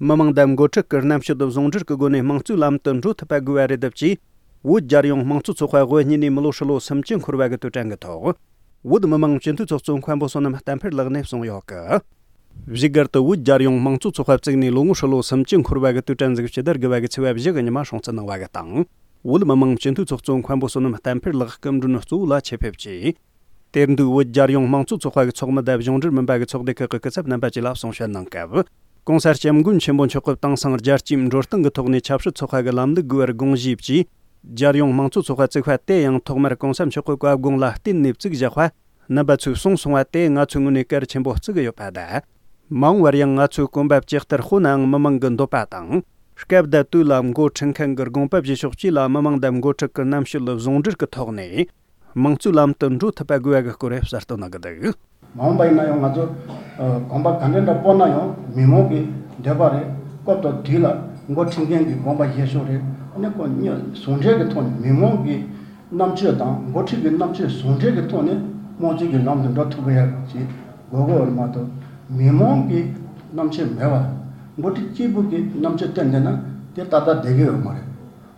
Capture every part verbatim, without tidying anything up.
མི་མང་དང་འགོ་ཁྲིད་ཀྱི་རྣམ་དཔྱོད་ཟུང་འབྲེལ་གྱི་སྒོ་ནས་དམངས་གཙོའི་ལམ་དུ་འགྲོ་ཐུབ་པ་དགོས་པ་རེད་འདུག་ཅེས། བོད་རྒྱལ་ཡོངས་དམངས་གཙོ་ཚོགས་པ་དབུ་བརྙེས་ནས་མི་ལོ་ཧྲིལ་ལོ་སུམ་ཅུ་འཁོར་བ་གི་དུས་དྲན་གྱི་ཐོག་བོད་མི་མང་སྤྱི་འཐུས་ཚོགས་གཙོ་མཁན་པོ་བསོད་ནམས་བསྟན་འཕེལ་ལགས་ནས་གསུངས་ཡོད་ཀི། བཞུགས་སྒར་དུ་བོད་རྒྱལ་ཡོངས་དམངས་གཙོ་ཚོགས་པ་བཙུགས་ནས་ལོ་ངོ་ཧྲིལ་ལོ་སུམ་ཅུ་འཁོར་བ་གི་དུས་དྲན་གཟིགས་ཞུ་ལྟར་དགུ་བ་གི་ཚེས་པ་བཞི་གི་ཉི་མ་སྲུང་བརྩི་གནང་བ་གི་དང་། བོད་མི་མང་སྤྱི་འཐུས་ཚོགས་གཙོ་མཁན་པོ་བསོད་ནམས་བསྟན་འཕེལ་ལགས་སྐུ་མགྲོན་གཙོ་བོ་ལ་ཆེད་ཕེབས་ཀྱིས། དེར་འདུག་བོད་རྒྱལ་ཡོངས་དམངས་གཙོ་ཚོགས་པ་གི་ཚོགས་མི་དང་གཞུང་འབྲེལ་མིན་པ་གི་ཚོགས་སྡེ་ཁག་གི་སྐུ་ཚབ་རྣམ་པ་བཅས་ལ་གསུང་བཤད་གནང་སྐབས། ྋགོང་ས་ྋསྐྱབས་མགོན་ཆེན་པོ་མཆོག་གིས་དེང་སང་རྒྱལ་སྤྱིའི་འགྲོ་སྟངས་ཀྱི་ཐོག་ནས་ཆབ་སྲིད་ཚོགས་པ་གི་ལམ་ལུགས་དགོས་པར་དགོངས་བཞེས་ཀྱིས། རྒྱལ་ཡོངས་དམངས་གཙོ་ཚོགས་པ་བཙུགས་པ་དེ་ཡང་ཐོག་མར་ྋགོང་ས་མཆོག་གི་བཀའ་དགོངས་ལ་བརྟེན་ནས་བཙུགས་བཞག་པ། རྣམ་པ་ཚོས་གསུངས་སོང་བ་དེ་ང་ཚོའི་ངོས་ནས་གལ་ཆེན་པོ་བརྩི་གི་ཡོད་པ་དང་། མ་འོངས་པར་ཡང་ང་ཚོའི་གོམ་པ་ཇི་ལྟར་སྤོ་ནའང་མི་མང་གི་འདོད་པ་དང་། སྐབས་དང་དུས་ལ་འགོ་ཁྲིད་མཁན་གྱི་དགོངས་པ་བཞེས་ཕྱོགས་བཅས་ལ་མི་མང་དང་འགོ་ཁྲིད་ཀྱི་རྣམ་དཔྱོད་ཟུང་འབྲེལ་གྱི་ཐོག་ནས། དམངས་གཙོའི་ལམ་དུ་འགྲོ་ཐུབ་པ་དགོས་པ་གི་སྐོར་གསལ་སྟོན་གནང་གི་འདུག་མ་འོངས་པ་ཡིན་ན་ཡང་ང་ཚོ་ཨ་གོམ་པ་ག་འདྲ་འདྲ་སྤོ་ན་ཡང་མི་མང་གི་འདོད་པ་རེད། སྐབས་དང་དུས་ལ་འགོ་ཁྲིད་མཁན་གྱི་དགོངས་པ་བཞེས་ཕྱོགས་རེད། ཨ་ནི་ཁོ་གཉིས་ཟུང་འབྲེལ་གྱི་ཐོག་ནས་མི་མང་གི་རྣམ་དཔྱོད་དང་འགོ་ཁྲིད་ཀྱི་རྣམ་དཔྱོད་ཟུང་འབྲེལ་གྱི་ཐོག་ནས་དམངས་གཙོའི་གི་ལམ་དུ་འགྲོ་ཐུབ་པ་ཡག་ཅིག་དགོས་དགོས་པ་མ་གཏོགས། མི་མང་གི་རྣམ་དཔྱོད་མེད་པ། འགོ་ཁྲིད་གཅིག་པུ་གི་རྣམ་དཔྱོད་བསྟན་བསྡད་ན་དེ་ཏག་ཏག་བསྡད་ཀྱི་ཡོད་མ་རེད།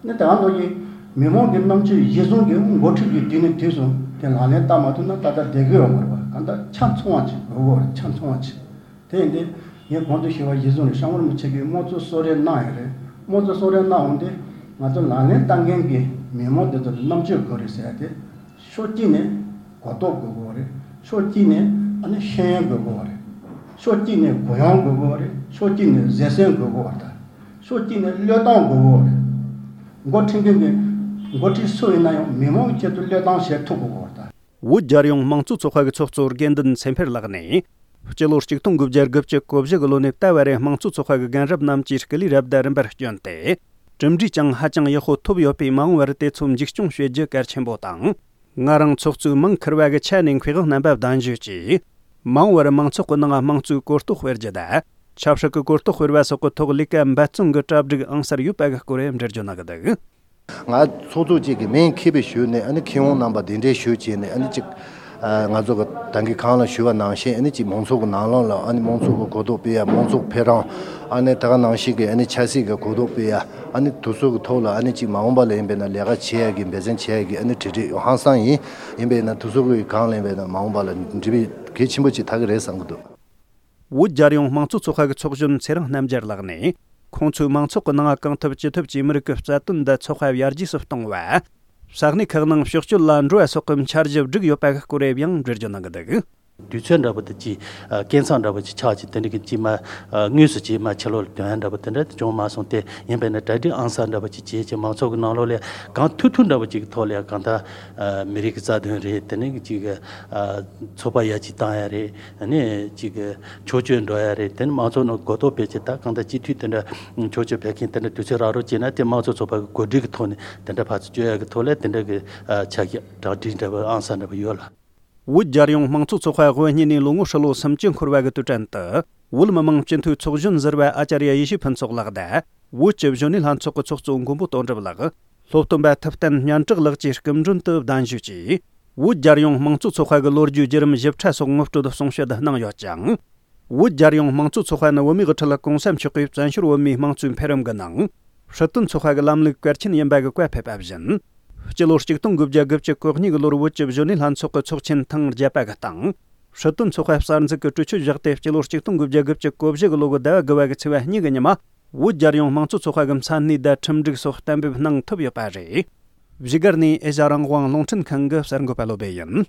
ནི་དེ་ག་ནང་བཞིན་མི་མང་གི་རྣམ་དཔྱོད་གཞིར་བཟུང་གི་འགོ་ཁྲིད་ཀྱིས་དུས་ནས་དུས་སུ་དེ་ལག་ལེན་བསྟར་མ་ཐུབ་ན་ཏག་ཏག་བསྡད་ཀྱི་ཡོད་མ་རེད་པ། གང་ལྟར་ཆ་ཚང་བ་ཅིག་དགོས་དགོས་རེད། ཆ་ཚང་བ་ཅིག་དེ་ཡིན་དུས་ངས་གོང་དུ་ཞུས་པ་གཞིར་བཟུང་རེད། ཤར་ངོས་རིན་པོ་ཆེ་གིས་དམངས་གཙོ་གསོལ་རས་གནང་ཡོད་རེད། དམངས་གཙོ་གསོལ་རས་གནང་འོང་དུས་ང་ཚོ་ལག་ལེན་བསྟར་མཁན་གྱི་མི་མང་དེ་ཚོ་ལ་རྣམ་དཔྱོད་དགོས་རེད་ཟེར་ཡ་དེ། ཕྱོགས་གཅིག་ནས་གོ་རྟོགས་དགོས་དགོས་རེད། ཕྱོགས་གཅིག་ནས་ཨ་ནི་ཤེས་ཡོན་དགོས་དགོས་རེད། ཕྱོགས་གཅིག་ནས་གུ་ཡངས་དགོས་དགོས་རེད། ཕྱོགས་གཅིག་ནས་བཟོད་བསྲན་དགོས་དགོས་རེད། ཕྱོགས་གཅིག་ནས་བློས་གཏོང་དགོས་དགོས་རེད། འགོ་ཁྲིད་མཁན་གྱི་འགོ་ཁྲིད་སུ་ཡིན་ན་ཡང་མི་མང་གི་ཆེད་དུ་བློས་གཏོང་བྱེད་ཐུབ་དགོས་དགོས་རེད། བོད་རྒྱལ་ཡོངས་དམངས་གཙོ་ཚོགས་པ་གི་ཚོགས་གཙོ་དགེ་འདུན་ཚེ་འཕེལ་ལགས་ནས། སྤྱི་ལོ་ཆིག་སྟོང་དགུ་བརྒྱ་དགུ་བཅུ་གོ་བཞི་གི་ལོ་ནས་ད་བར་རེ་དམངས་གཙོ་ཚོགས་པ་གི་རྒན་རབས་རྣམས་ཀྱིས་སྐུ་ལུས་རབ་དང་རིམ་པར་བསྐྱོན་ཏེ། གྲུབ་འབྲས་ཀྱང་ཧ་ཅང་ཡག་པོ་ཐོབ་ཡོད་པས། མ་འོངས་པར་དེ་ཚོ་འཛུགས་སྐྱོང་བྱེད་རྒྱུ་གལ་ཆེན་པོ་དང་། ང་རང་ཚོགས་གཙོའི་མིང་འཁུར་བ་གི་ཆ་ནས་མཁས་དབང་རྣམ་པ་གདན་ཞུས་ཀྱིས། མ་འོངས་པར་མང་ཚོགས་ཀྱི་ནང་དམངས་གཙོའི་གོ་རྟོགས་སྤེལ་རྒྱུ་དང་། ཆབ་སྲིད་ཀྱི་གོ་རྟོགས་སྤེལ་བ་སོགས་ཀྱི་ཐོག་ལས་ཀ་འབད་བརྩོན་གྱི་གྲ་སྒྲིག་ཨང་གསར་ཡོད་པ་གི་སྐོར་འགྲེལ་བརྗོད་གནང་གི་འདུག་ང་ཚོགས་གཙོ་གཅིག་གི་མིང་འཁྱེར་བའི་ཞུས་ནས། ཨ་ནི་མཁས་དབང་རྣམ་པ་གདན་འདྲེན་ཞུས་བྱས་ནས། ཨ་ནི་གཅིག་ཨ་ང་ཚོ་གི་ད་གིན་གོང་ལ་ཞུས་པ་ནང་བཞིན། ཨ་ནི་གཅིག་མང་ཚོགས་ཀྱི་ནང་ལོགས་ལ། ཨ་ནི་མང་ཚོགས་ཀྱི་གོ་རྟོགས་སྤེལ་ཡ། མང་ཚོགས་ཕེབས་རང་། ཨ་ནི་ད་ག་ནང་བཞིན་གྱི་ཨ་ནི་ཆབ་སྲིད་ཀྱི་གོ་རྟོགས་སྤེལ་ཡ། ཨ་ནི་དེ་ཚོ་གི་ཐོག་ལ་ཨ་ནི་གཅིག་མ་འོངས་པ་ལ་ཡིན་པས་ན་ལས་ཀ་བྱེད་ཡ་གི་འབད་བརྩོན་བྱེད་ཡ་གི་ཨ་ནི་གྲ་སྒྲིག་ཡོད། ཧང་སང་ཡིན། ཡིན་པས་ན་དེ་ཚོ་གི་གང་ལ་ཡིན་པས་ན་མ་འོངས་པ་ལ་འགྲུབ་པའི་གལ་ཆེན་པོ་ཅིག་ཐག་གི་རེད་བསམ་གི་འདུག་བོད་རྒྱལ་ཡོངས་དམངས་གཙོ་ཚོགས་པ་གི་ཚོགས་གཞོན་ཚེ་རིང་རྣམ་རྒྱལ་ལགས་ནས། ཁོང་ཚོས་མང་ཚོགས་ཀྱི་ནང་གང་ཐུབ་ཅི་ཐུབ་ཀྱིས་མི་རིགས་ཀྱི་རྩ་དོན་དང་ཚོགས་པ་ཡར་རྒྱས་སུ་གཏོང་བ། ས་གནས་ཁག་ནང་ཕྱོགས་སྐྱོད་ལ་འགྲོ་བ་སོགས་ཀྱི་འཆར་གཞི་བསྒྲིགས་ཡོད་པ་གི་སྐོར་ཡང་འགྲེལ་བརྗོད་གནང་གི་འདུག་དུས་ཚོད་འདྲ་པོ་དེ་ཅིག་ཨ་སྐས་འཚམས་འདྲ་པོ་ཅིག་ཆགས་ཅིག་དེ་འདྲ་གི་ཅིག་མ་ཨ་དངོས་སུ་ཅིག་མ་ཕྱི་ལོགས་ལ་ཐོན་ཡ་འདྲ་པོ་དེ་འདྲ་དེ་བྱུང་མ་སོང་སྟེ། ཡིན་པས་ན་གྲ་སྒྲིག་ཨང་གསར་འདྲ་པོ་ཅིག་བྱས་ཅིག་མང་ཚོགས་ཀྱི་ནང་ལོགས་ལ་གང་ཐུབ་ཐུབ་འདྲ་པོ་ཅིག་གི་ཐོག་ལ་ཡ་གང་ལྟར་ཨ་མི་རིགས་ཀྱི་རྩ་དོན་རེད། དེ་ནས་ཅིག་ཨ་ཚོགས་པ་ཡར་ཅིག་བཏང་ཡ་རེད། ཨ་ནི་ཅིག་ཕྱོགས་སྐྱོད་འགྲོ་ཡ་རེད། དེ་ནི་མང་ཚོགས་ནང་གོ་རྟོགས་སྤེལ་ཆེད་ད་གང་ལྟར་སྤྱི་འཐུས་དེ་འདྲ་ཕྱོགས་སྐྱོད་ཕེབས་མཁན་དེ་འདྲ་དུས་ཚོད་རག་རོགས་བྱས་ན། དེ་དམངས་གཙོ་ཚོགས་པ་གི་གོ་སྒྲིག་གི་ཐོག་ནས་དེ་འདྲ་ཕར་ཚུར་བསྐྱོད་ཡ་གི་ཐོག་ལ་དེ་འདྲ་གི་ཨ་ཆ་ཤས་གྲ་སྒྲིག་འདྲ་པོ་ཨང་གསར་འདྲ་པོ་ཡོད་ལ། བོད་རྒྱལ་ཡོངས་དམངས་གཙོ་ཚོགས་པ་དབུ་བརྙེས་ནས་ལོ་ངོ་ཧྲིལ་ལོ་སུམ་ཅུ་འཁོར་བ་གི་དུས་དྲན་དུ། བོད་མི་མང་སྤྱི་འཐུས་ཚོགས་གཞོན་ཟུར་པ་ཨ་ཅར་ཡ་ཡེ་ཤེས་ཕུན་ཚོགས་ལགས་དང་། བོད་ཀྱི་གཞོན་ནུ་ལྷན་ཚོགས་ཀྱི་ཚོགས་གཙོ་མགོན་པོ་དོན་གྲུབ་ལགས། སློབ་སྟོན་པ་ཐུབ་བསྟན་སྙན་གྲགས་ལགས་ཀྱིས་སྐུ་མགྲོན་དུ་གདན་ཞུས་ཀྱིས། བོད་རྒྱལ་ཡོངས་དམངས་གཙོ་ཚོགས་པ་གི་ལོ་རྒྱུས་བརྒྱུད་རིམ་ཞིབ་ཕྲ་སོགས་ངོ་སྤྲོད་གསུང་བཤད་གནང་ཡོད་ཅིང་། བོད་རྒྱལ་ཡོངས་དམངས་གཙོ་ཚོགས་པ་ནི་བོད་མིའི་དབུ་ཁྲིད་ྋགོང་ས་མཆོག་གིས་བཙན་བྱོལ་བོད་མིའི་དམངས་གཙོའི་འཕེལ་རིམ་གྱི་ནང་། སྲིད་དོན་ཚོགས་པ་གི་ལམ་ལུགས་གལ་ཆེན་ཡིན་པ་གི་བཀའ་ཕེབས་པ་བཞིན། སྤྱི་ལོ་ཆིག་སྟོང་དགུ་བརྒྱ་དགུ་བཅུ་གོ་གཉིས་གི་ལོར་བོད་ཀྱི་གཞོན་ནུ་ལྷན་ཚོགས་ཀྱི་ཚོགས་ཆེན་ཐེངས་བརྒྱད་པ་གི་སྟེང་། སྲིད་དོན་ཚོགས་པ་གསར་འཛུགས་ཀྱི་གྲོས་ཆོད་བཞག་སྟེ། སྤྱི་ལོ་ཆིག་སྟོང་དགུ་བརྒྱ་དགུ་བཅུ་གོ་བཞི་གི་ལོ་གི་ཟླ་བ་དགུ་བ་གི་ཚེས་པ་གཉིས་གི་ཉི་མ། བོད་རྒྱལ་ཡོངས་དམངས་གཙོ་ཚོགས་པ་གི་མཚན་གནས་དང་ཁྲིམས་སྒྲིག་སོགས་གཏན་འབེབས་གནང་ཐུབ་ཡོད་པ་རེད། བཞུགས་སྒར་ནས་ཨེ་ཤ་རང་དབང་རླུང་འཕྲིན་ཁང་གི་གསར་འགོད་པ་བློ་བྷེ་ཡིན།